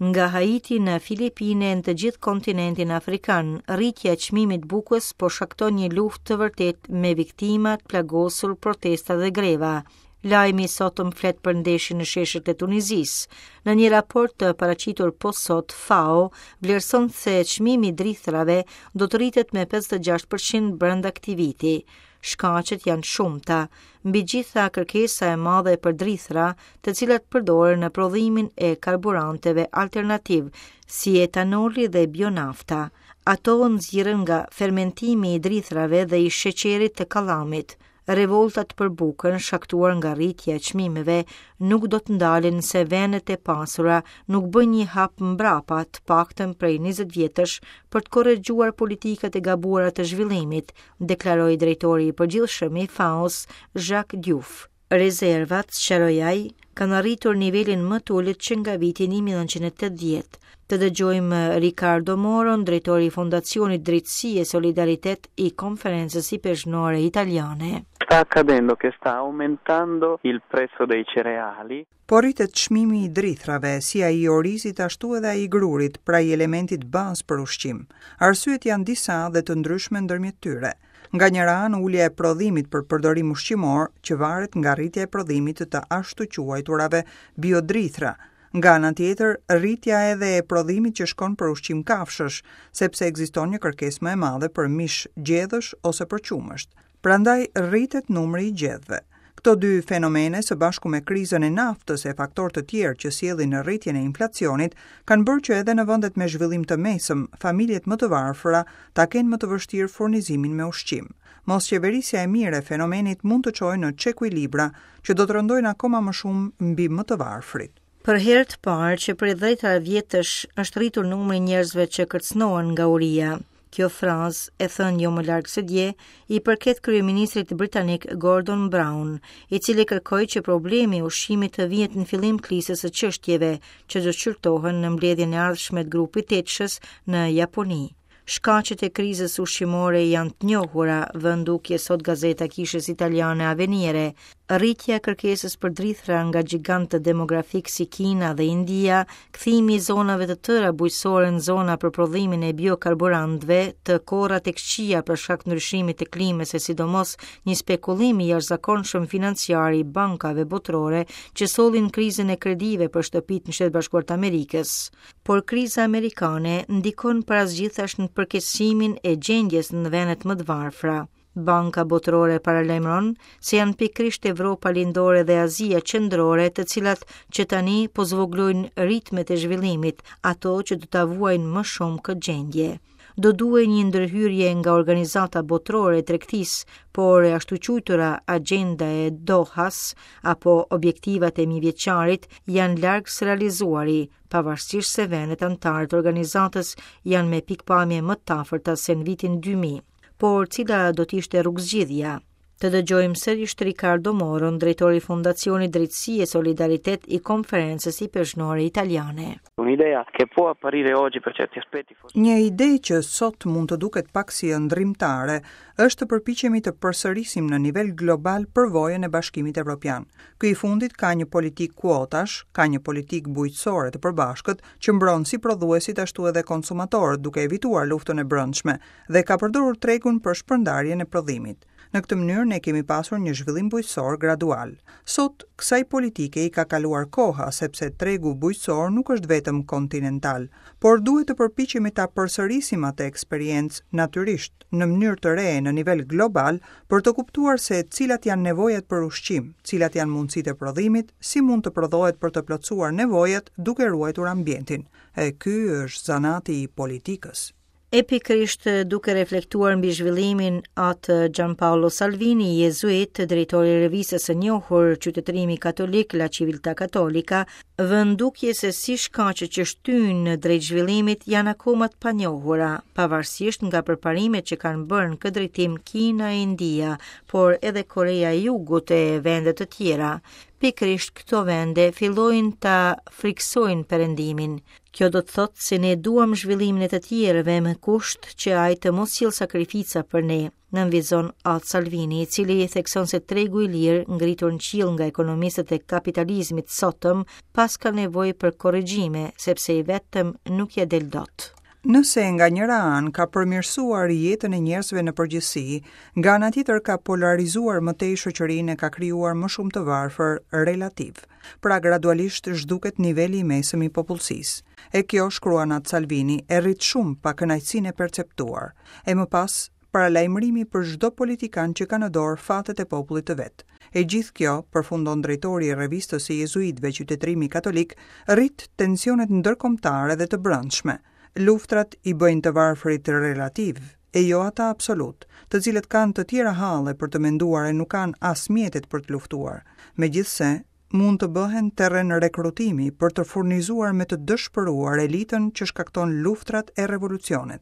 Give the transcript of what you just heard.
Nga Haiti në Filipine e në të gjithë kontinentin afrikan, rritja e çmimit të bukës po shkakton një luftë të vërtetë me viktima të plagosur, protesta dhe greva. Lajmi i sotëm flet për ndeshjen në sheshet e Tunizisë. Në një raport të paraqitur po sot, FAO vlerëson se çmimi i drithërave do të rritet me 56% brenda këtij viti. Shkaqet janë të shumta, mbi gjitha kërkesa e madhe për drithëra, të cilat përdoren në prodhimin e karburanteve alternativë, si etanoli dhe bionafta. Ato nxirren nga fermentimi i drithërave dhe i sheqerit të kallamit. Revoltat për bukën, shkaktuar nga rritja e çmimeve, nuk do të ndalen nëse vendet e pasura nuk bëjnë një hap mbrapa, të paktën prej 20 vjetësh, për të korrigjuar politikat e gabuara të zhvillimit, deklaroi drejtori i përgjithshëm i FAO-s, Jacques Diouf. Rezervat, sqaroi ai, kanë arritur nivelin më të ulët që nga viti 1980. Të dëgjojmë Ricardo Moron, drejtori i Fondacionit Drejtësi e Solidaritet i Konferencës Ipeshkvnore Italiane. Sta accadendo che sta aumentando il prezzo dei cereali. Po rritet çmimi i drithërave, si ai i orizit ashtu edhe ai i grurit, pra i elementit bazë për ushqim. Arsyet janë disa dhe të ndryshme ndërmjet tyre. Nga njëra anë ulja e prodhimit për përdorim ushqimor, që varet nga rritja e prodhimit të të ashtuquajturave biodrithra. Nga ana tjetër, rritja edhe e prodhimit që shkon për ushqim kafshësh, sepse ekziston një kërkesë më e madhe për mish gjedhësh ose për qumësht. Prandaj rritet numri i gjedhëve. Këto dy fenomene, së bashku me krizën e naftës e faktorë të tjerë që sjellin rritjen e inflacionit, kanë bërë që edhe në vendet me zhvillim të mesëm, familjet më të varfëra ta kenë më të vështirë furnizimin me ushqim. Mosqeverisja e mirë e fenomenit mund të çojë në çekuilibra që do të rëndojnë akoma më shumë mbi më të varfrit. Për herë të parë që prej dhjetëra vjetësh është rritur numri i njerëzve që kërcënohen nga uria. Kjo frazë, e thënë jo më larg se dje, i përket kryeministrit britanik Gordon Brown, i cili kërkoi që problemi i ushqimit të vihet në fillim të listës së çështjeve që do të shqyrtohen në mbledhjen e ardhshme të grupit tetëshës në Japoni. Shkaqet e krizës ushqimore janë të njohura, vë në dukje sot gazeta e kishës italiane Avvenire. Rritja e kërkesës për drithëra nga gjigantët demografikë si Kina dhe India, kthimi i zonave të tëra bujqësore në zona për prodhimin e biokarburantëve, të korrat e këqija për shkak të ndryshimit të klimës e sidomos një spekulim i jashtëzakonshëm financiar i bankave botërore që sollin krizën e kredive për shtëpitë në Shtetet e Bashkuara të Amerikës. Por kriza amerikane ndikon para së gjithash në përkeqësimin e gjendjes në vendet më të varfra. Banka Botërore paralajmëron se janë pikërisht Evropa Lindore dhe Azia Qendrore të cilat që tani po zvogëlojnë ritmet e zhvillimit, ato që do ta vuajnë më shumë këtë gjendje. Do duhej një ndërhyrje nga Organizata Botërore e Tregtisë, por e ashtuquajtura Agjenda e Dohas apo objektivat e mijëvjeçarit janë larg së realizuari, pavarësisht se vendet anëtare të organizatës janë me pikëpamje më të afërta se në vitin 2000. Por cila do të ishte rrugëzgjidhja? Të dëgjojmë sërish Ricardo Moron, drejtor i Fondacionit Drejtësi e Solidaritet i Konferencës Ipeshkvnore Italiane. Un'idea che può apparire oggi per certi aspetti forse. Një ide që sot mund të duket pak si ëndrrimtare, është të përpiqemi të përsërisim në nivel global përvojën e Bashkimit Evropian. Ky i fundit ka një politikë kuotash, ka një politikë bujqësore të përbashkët që mbron si prodhuesit ashtu edhe konsumatorët duke evituar luftën e brendshme dhe ka përdorur tregun për shpërndarjen e prodhimit. Në këtë mënyrë ne kemi pasur një zhvillim bujqësor gradual. Sot, kësaj politike i ka kaluar koha, sepse tregu bujqësor nuk është vetëm kontinental, por duhet të përpiqemi ta përsërisim atë eksperiencë, natyrisht, në mënyrë të re në nivel global, për të kuptuar se cilat janë nevojat për ushqim, cilat janë mundësitë e prodhimit, si mund të prodhohet për të plotësuar nevojat duke ruajtur ambientin. E ky është zanati i politikës. E pikërisht duke reflektuar mbi zhvillimin Atë Gianpaolo Salvini, jezuit, drejtor i revistës së njohur Qytetërimi Katolik La Civiltà Cattolica, vë në dukje se si shkaqet që shtyjnë drejt zhvillimit janë akoma të panjohura, pavarësisht nga përparimet që kanë bërë në këtë drejtim Kina e India, por edhe Koreja e Jugut e vende të tjera. Pikërisht këto vende fillojnë ta frikësojnë Perëndimin. Kjo do të thotë se ne duam zhvillimin e të tjerëve me kusht që ai të mos sjellë sakrifica për ne, nënvizon At Salvini, i cili thekson se tregu i lirë, ngritur në qiell nga ekonomistët e kapitalizmit të sotëm, paska nevojë për korrigjime, sepse i vetëm nuk ia del dot. Nëse nga njëra anë ka përmirësuar jetën e njerëzve në përgjithësi, nga ana tjetër ka polarizuar më tej shoqërinë e ka krijuar më shumë të varfër relativë. Pra gradualisht zhduket niveli i mesëm i popullsisë. E kjo, shkruan At Salvini, e rrit shumë pakënaqësinë e perceptuar. E më pas, paralajmërimi për çdo politikan që ka në dorë fatet e popullit të vet. E gjithë kjo, përfundon drejtori i revistës së jezuitëve Qytetërimi Katolik, rrit tensionet ndërkombëtare dhe të brendshme. Luftrat i bëjnë të varfrit relativë, e jo ata absolutë, të cilët kanë të tjera halle për të menduar e nuk kanë as mjetet për të luftuar. Megjithëse, mund të bëhen terren rekrutimi për të furnizuar me të dëshpëruar elitën që shkakton luftrat e revolucionet.